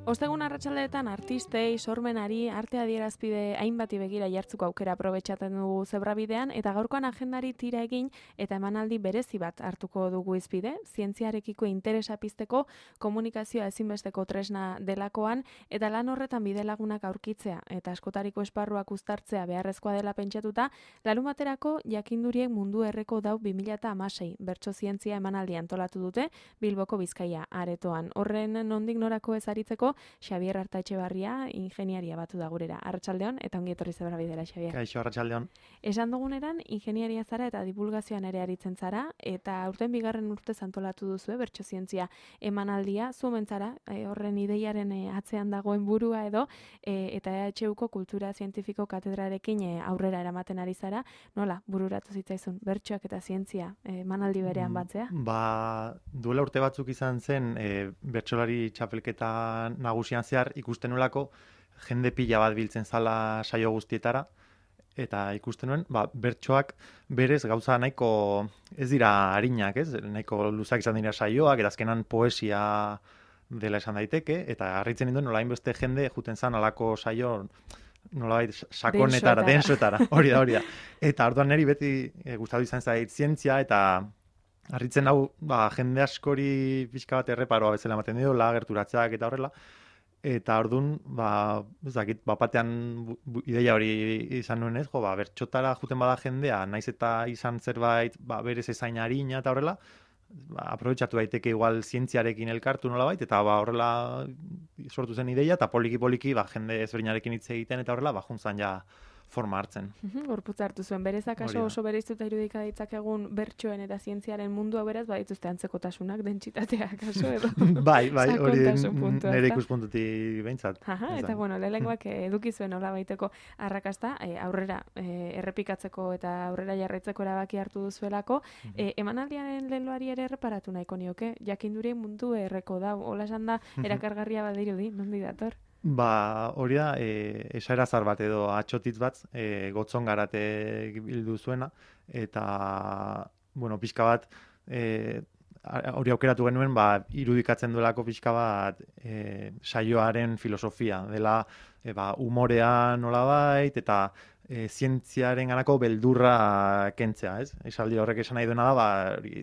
Ostegun arratsaldeetan artistei, sormenari, arte adierazpide hainbati begira jartzuko aukera aprobetxatzen dugu zebrabidean, eta gaurkoan agendari tira egin eta emanaldi berezi bat hartuko dugu izpide, zientziarekiko interesa pizteko komunikazioa ezinbesteko tresna delakoan, eta lan horretan bidelagunak aurkitzea eta askotariko esparruak uztartzea beharrezkoa dela pentsatuta, larunbaterako jakinduriek mundu erreko dau 2016 bertso zientzia emanaldi antolatu dute Bilboko Bizkaia aretoan. Horren nondik norako ezaritzeko Xabier Artaetxebarria ingeniaria batu da gurera. Arratsaldeon eta ongi etorri zebrabidera, Xabier. Kaixo, arratsaldeon. Esan duguneran ingeniaria zara eta divulgazioan ere aritzen zara, eta aurten bigarren urtez antolatu duzu bertso zientzia emanaldia, zumentzara, horren ideiaren atzean dagoen burua edo, eta EHUko kultura zientifiko katedrarekin aurrera eramaten ari zara, nola bururatu zitzaizun bertsoak eta zientzia emanaldi berean batzea? Duela urte batzuk izan zen, bertsolari txapelketa nagusian zehar ikusten nolako jende pila bat biltzen zala saio guztietara, eta ikusten nuen, bertsoak berez gauza nahiko ez dira arinak, ez? Nahiko luzak izan dira saioak, eta azkenan poesia dela esan daiteke, eta harritzen ninduen nola hainbeste jende juten zan alako saio nolabait sakonetara, densoetara, hori da. Eta orduan niri beti gustatu izan zait zientzia, eta harritzen hau, jende askori pixka bat erreparoa bezala ematen dio, gerturatzeak eta horrela. Eta orduan, ez dakit, batean ideia hori izan nuen ez, bertxotara juten bada jendea, naiz eta izan zerbait, berez ezain harina eta horrela, aprobetxatu daiteke igual zientziarekin elkartu nolabait, eta horrela sortu zen ideia, eta poliki-poliki jende ezberdinarekin hitz egiten eta horrela, juntzan ja forma hartzen. Gorputza hartu zuen. Berezak oso bereiztuta irudika ditzakegun bertsoen eta zientziaren mundua beraz, badituzte antzekotasunak, dentsitateak kaso edo. Bai, hori nire ikuspuntutik behintzat. Eta lehenengoak eduki zuen hola baiteko arrakasta, aurrera errepikatzeko eta aurrera jarraitzeko erabaki hartu duzuelako. Emanaldiaren leloari ere erreparatu nahiko nioke, jakinduri mundu erreko da, hola esan da, erakargarria badirudi, nondi dator? Hori da, esaera zar bat edo atxotitz bat, gotzon garate bildu zuena, eta, pixka bat, hori aukeratu genuen, irudikatzen duelako pixka bat saioaren filosofia, dela umorea nolabait, eta zientziaren ganako beldurra kentzea, ez? Esaldi horrek esan nahi duena da,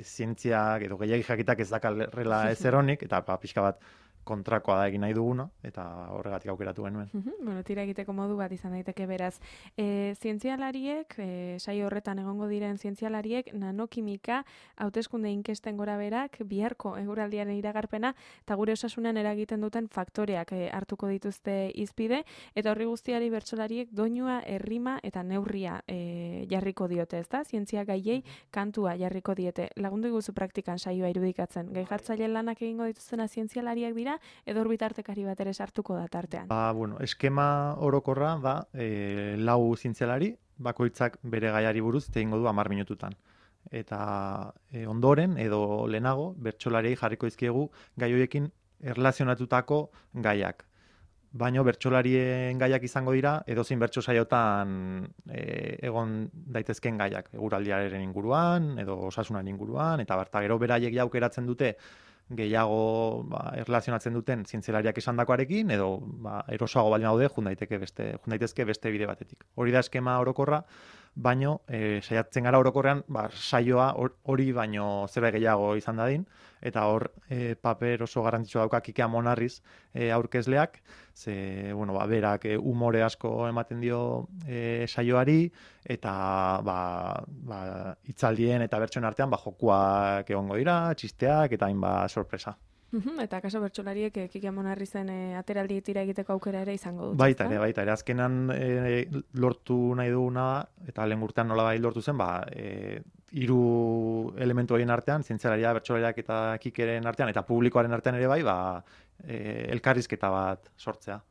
zientziak edo gehiagik jakitak ez dakarrela ezeronik, eta pixka bat, kontrakoa da egin nahi duguna, eta horregatik aukeratu genuen. Tira egiteko modu bat izan daiteke beraz. Zientzialariek, saio horretan egongo diren zientzialariek, nanokimika, hauteskunde inkesten gora berak, biharko eguraldiaren iragarpena, eta gure osasunan eragiten duten faktoreak hartuko dituzte izpide, eta horri guztiari bertsolariek doinua, errima eta neurria jarriko diote, ezta? Zientzia gaiei kantua jarriko diete. Lagundu iguzu praktikan saioa irudikatzen. Gai jartzaile lanak egingo dituztena zientzialariak dira, edo orbitartekari bat ere sartuko da tartean. Eskema orokorra da, 4 zientzialari, bakoitzak bere gaiari buruz egingo du 10 minututan. Eta ondoren, edo lehenago, bertsolariei jarriko dizkiegu gai horiekin erlazionatutako gaiak. Baina bertsolarien gaiak izango dira, edozein bertso saiotan egon daitezken gaiak. Eguraldiaren inguruan, edo osasunaren inguruan, eta gero beraiek aukeratzen dute gehiago erlazionatzen duten zientzialariak esandakoarekin, edo erosoago baldin daude, jun daitezke beste bide batetik. Hori da eskema orokorra, baino saiatzen gara orokorrean saioa hori baino zerbait gehiago izan dadin, eta hor paper oso garrantzitsua dauka Kike Amonarriz aurkezleak, ze berak umore asko ematen dio saioari, eta hitzaldien eta bertsoen artean jokuak egongo dira, txisteak eta hainbat sorpresa. Eta kaso bertsolariek Kike Amonarrizen ateraldi tira egiteko aukera ere izango dut. Baita ere, azkenan lortu nahi duguna, eta lehen urtean nolabait lortu zen, 3 elementu horien artean, zientzialaria, bertsolariak eta Kikeren artean, eta publikoaren artean ere bai, elkarrizketa bat sortzea.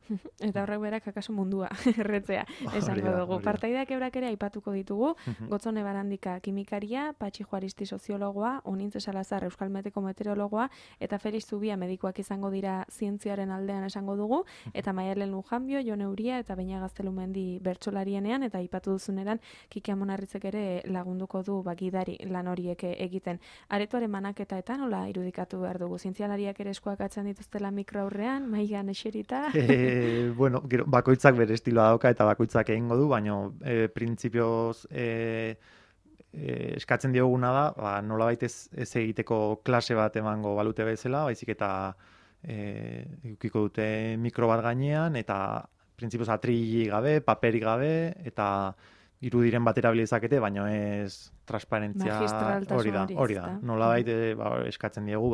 Eta horrek berak akaso mundua erretzea esango dugu. Partaideak eurak ere aipatuko ditugu, Gotzone Barandika kimikaria, Patxi Juaristi soziologoa, Onintze Salazar Euskal Meteko meteorologoa, eta Felix Zubia medikuak izango dira zientziaren aldean esango dugu, eta Maialen Lujanbio, Jon Euria eta Beña Gaztelumendi bertsolarienean, eta aipatu duzuneran Kiki Amonarritzek ere lagunduko du gidari lan horiek egiten. Aretoaren manaketa eta nola irudikatu behar dugu? Zientzialariak ere eskuak atzen dituztela mikro aurrean, maigan eserita? Bueno, bakoitzak bere estiloa dauka eta bakoitzak egingo du, baina printzipioz eskatzen dioguna da, nolabait ez egiteko klase bat emango balute bezala, baizik eta edukiko dute mikro bat gainean, eta printzipioz atrili gabe, paperi gabe, eta irudiren bat erabilizakete, baina ez transparentzia hori da. Nolabait eskatzen diegu,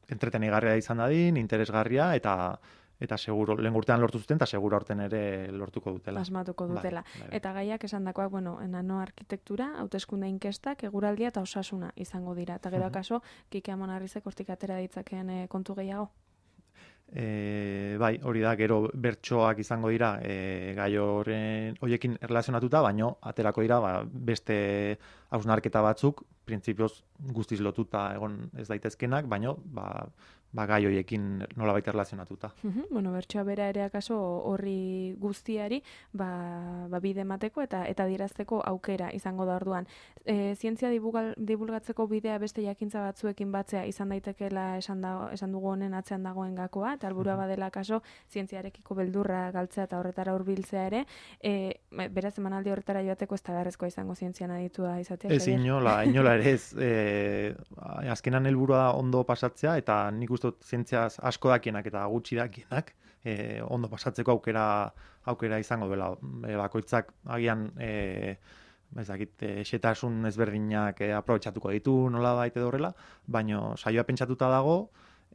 entretenigarria izan dadin, interesgarria, eta seguro, lehen urtean lortu zuten, eta seguro aurten ere lortuko dutela. Asmatuko dutela. Bai. Eta gaiak esandakoak, nano arkitektura, hauteskunde inkestak, eguraldia eta osasuna izango dira. Eta gero akaso, Kiki Amonarrizek hortik atera ditzakeen kontu gehiago? Bai, hori da, gero bertsoak izango dira gai horiekin erlazionatuta, baino aterako dira beste hausnarketa batzuk, printzipioz guztiz lotuta egon ez daitezkenak, baino gai horiekin nolabait erlazionatuta. Bertsoa bera ere akaso horri guztiari bide emateko eta dirazteko aukera izango da orduan. Zientzia divulgatzeko bidea beste jakintza batzuekin batzea izan daitekeela esan dugu honen atzean dagoen gakoa, eta helburua badela kaso zientziarekiko beldurra galtzea eta horretara hurbiltzea ere, beraz emanaldi horretara joateko ez da beharrezkoa izango zientzian aditua izatea. Ez inola ere ez. Azkenan helburua ondo pasatzea, eta nik uste zientziaz asko dakienak eta gutxi dakienak ondo pasatzeko aukera izango duela. Bakoitzak agian xetasun ezberdinak aprobetxatuko ditu nolabait edo horrela, baina saioa pentsatuta dago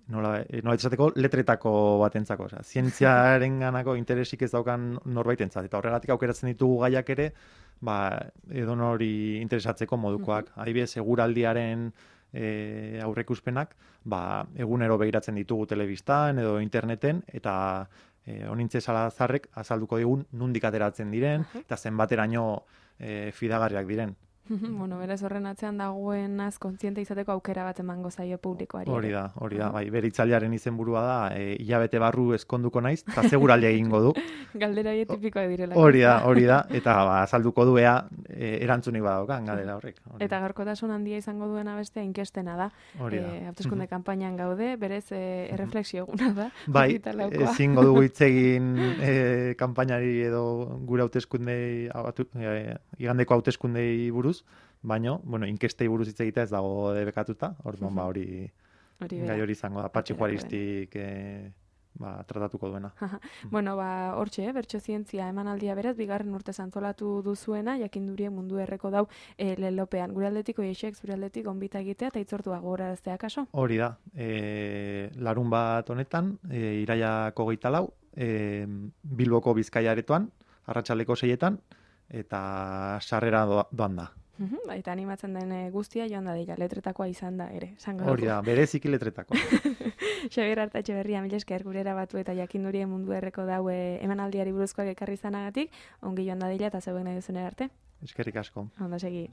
nolabait esateko letretako batentzako, zientziarenganako interesik ez daukan norbaitentzat, eta horregatik aukeratzen ditugu gaiak ere edonori interesatzeko modukoak. Adibidez, eguraldiaren aurreikuspenak egunero begiratzen ditugu telebistan edo interneten, eta Onintze Salazarrek azalduko digun nondik ateratzen diren eta zenbateraino fidagarriak diren. Beraz horren atzean dagoenaz kontziente izateko aukera bat emango zaio publikoari. Hori da, bai, bere hitzaldiaren izenburua da, hilabete barru eskonduko naiz, eta seguraldi egingo du. Galdera hori tipikoa direla. Hori da, eta azalduko du erantzunik badaukan galdera horrek. Eta gaurkotasun handia izango duena bestea inkestena da. Hauteskunde kanpainan gaude, berez erreflexio eguna da. Bai, ezingo dugu hitz egin kanpainari edo gure hauteskundei, igandeko hauteskundei buruz, baina, inkestei buruz hitz egitea ez dago debekatuta, orduan hori gai hori izango da, Patxi Juaristik tratatuko duena. Hortxe, bertso zientzia emanaldia beraz, bigarren urte antolatu duzuena, jakindurie mundu erreko dau lelopean. Gure aldetik, oiexek, zure aldetik, onbita egitea, eta itzortua gogoraraztea kaso? Hori da, larun bat honetan, iraiak 24, Bilboko Bizkaia aretoan, arratsaldeko 6etan, eta sarrera doan da. Eta animatzen den guztia joan da dira, letretakoa izan da ere. Hori da, bereziki letretakoa. Xabier Artatxeberria, mila esker gurera batu eta jakindurien mundu erreko daue emanaldiari buruzkoak ekarri izanagatik, ongi joan da dira eta zeuen nahi duzunera arte. Eskerrik asko. Ondo segi.